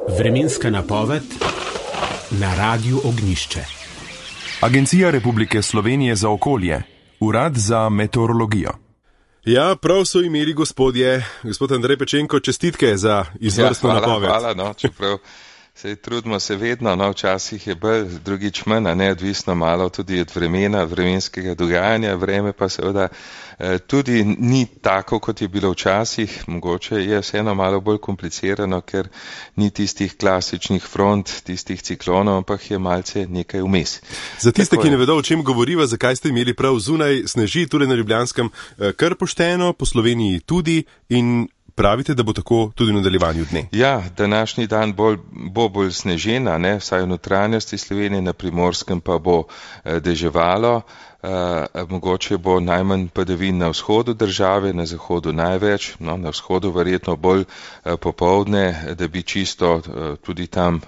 Vremenska napoved na Radiu Ognjišče. Agencija Republike Slovenije za okolje, Urad za meteorologijo. Ja, prav so imeli gospodje, gospod Andrej Pečenko, čestitke za izvrstno napoved. Hvala, čeprav se trudimo se vedno, včasih je bolj, drugič manj, neodvisno malo tudi od vremena, vremenskega dogajanja, vreme pa seveda tudi ni tako, kot je bilo včasih, mogoče je vseeno malo bolj komplicirano, ker ni tistih klasičnih front, tistih ciklonov, ampak je malce nekaj vmes. Za tiste, ki ne vedo, o čem govoriva, zakaj ste imeli prav zunaj sneži, tudi na Ljubljanskem, kar pošteno, po Sloveniji tudi in pravite, da bo tako tudi v nadaljevanju dne. Ja, današnji dan bo bolj snežena, vsaj v notranjosti Slovenije, na Primorskem pa bo deževalo. Mogoče bo najmanj padavin na vzhodu države, na zahodu največ, na vzhodu verjetno bolj popoldne, da bi čisto tudi tam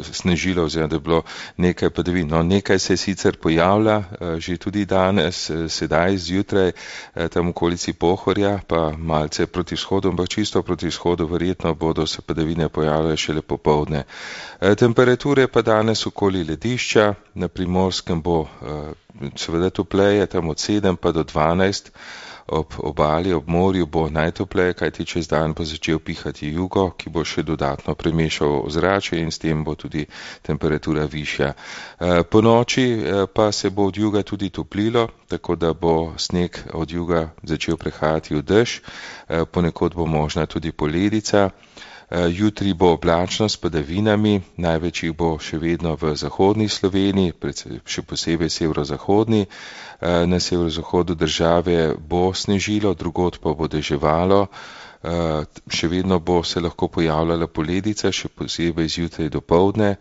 snežilo, oziroma da bi bilo nekaj padavin. Nekaj se sicer pojavlja, že tudi danes, sedaj zjutraj, tam v okolici Pohorja, pa malce proti vzhodu, ampak čisto proti vzhodu verjetno bodo se padavine pojavljale šele popoldne. Temperature pa danes okoli ledišča, na Primorskem bo seveda topleje, tam od 7 pa do 12, ob obali, ob morju bo najtopleje, kajti čez dan bo začel pihati jugo, ki bo še dodatno premešal ozračje in s tem bo tudi temperatura višja. Po noči pa se bo od juga tudi toplilo, tako da bo sneg od juga začel prehajati v dež, ponekod bo možna tudi poledica. Jutri bo oblačno s padavinami, največ jih bo še vedno v zahodni Sloveniji, še posebej severozahodni. Na severozahodu države bo snežilo, drugod pa bo deževalo. Še vedno bo se lahko pojavljala poledica, še posebej zjutraj do poldne.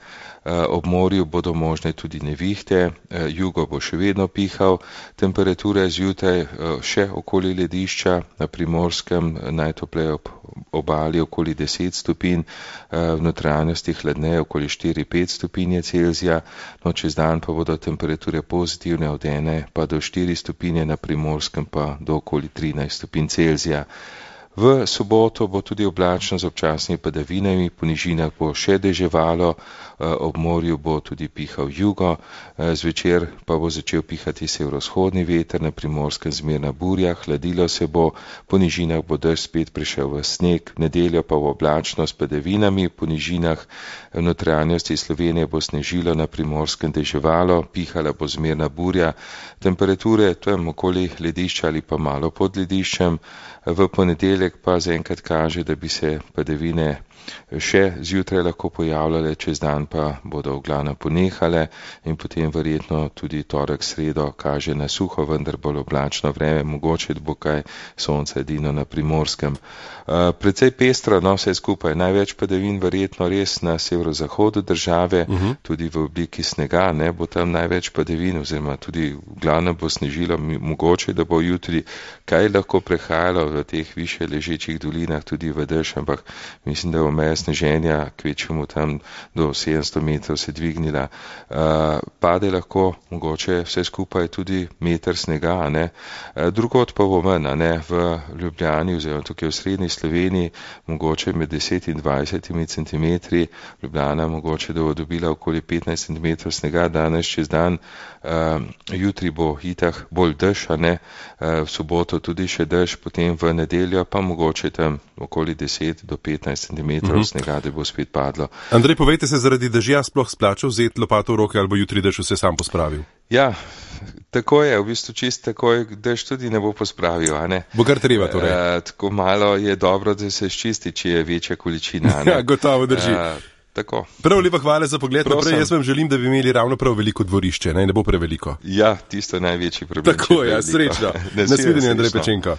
Ob morju bodo možne tudi nevihte, jugo bo še vedno pihal, temperature zjutraj še okoli ledišča, na Primorskem najtopleje ob obali okoli 10 stopinj, v notranjosti hladneje okoli 4-5 stopinje Celzija, čez dan pa bodo temperature pozitivne od 1 pa do 4 stopinje, na Primorskem pa do okoli 13 stopinj Celzija. V soboto bo tudi oblačno z občasnimi padavinami, po nižinah bo še deževalo, ob morju bo tudi pihal jugo, zvečer pa bo začel pihati severovzhodni veter, na Primorskem zmerna burja, hladilo se bo, po nižinah bo dež spet prišel v sneg, v nedeljo pa bo oblačno s padavinami, po nižinah v notranjosti Slovenije bo snežilo, na Primorskem deževalo, pihala bo zmerna burja, temperature tam okoli ledišča ali pa malo pod lediščem. V ponedeljek pa zaenkrat kaže, da bi se padavine še zjutraj lahko pojavljale, čez dan pa bodo v glavnem ponehale in potem verjetno tudi torek, sredo kaže na suho, vendar bolj oblačno vreme, mogoče bo kaj sonca edino na Primorskem. Precej pestro, vse skupaj, največ padavin verjetno res na severozahodu države, tudi v obliki snega, bo tam največ padavin, oziroma tudi v glavnem bo snežilo, mogoče, da bo jutri kaj lahko prehajalo v teh više ležečih dolinah tudi v dež, ampak mislim, da bo meja sneženja kvečemu tam do 700 metrov se dvignila. Pade lahko mogoče vse skupaj tudi meter snega, drugod pa bo manj, v Ljubljani oziroma tukaj v srednji Sloveniji mogoče med 10 in 20 centimetri, Ljubljana mogoče, da bo dobila okoli 15 centimetrov snega danes čez dan, jutri bo itak bolj dež, v soboto tudi še dež, potem v nedeljo pa mogoče tam okoli 10 do 15 centimetrov snega, da bo spet padlo. Andrej, povejte se, zaradi dežja sploh splača vzeti lopato v roke ali bo jutri dež vse sam pospravil? Ja, tako je, v bistvu čist takoj dež tudi ne bo pospravil, Bo kar treba torej. Tako malo je dobro, da se ščisti, če je večja količina, Ja, gotovo drži. Tako. Prav lepa hvala za pogled naprej, jaz vam želim, da bi imeli ravno prav veliko dvorišče, ne bo preveliko. Ja, tisto največji problem. Tako je, srečno. Nasvidenje, Andrej Pečenko.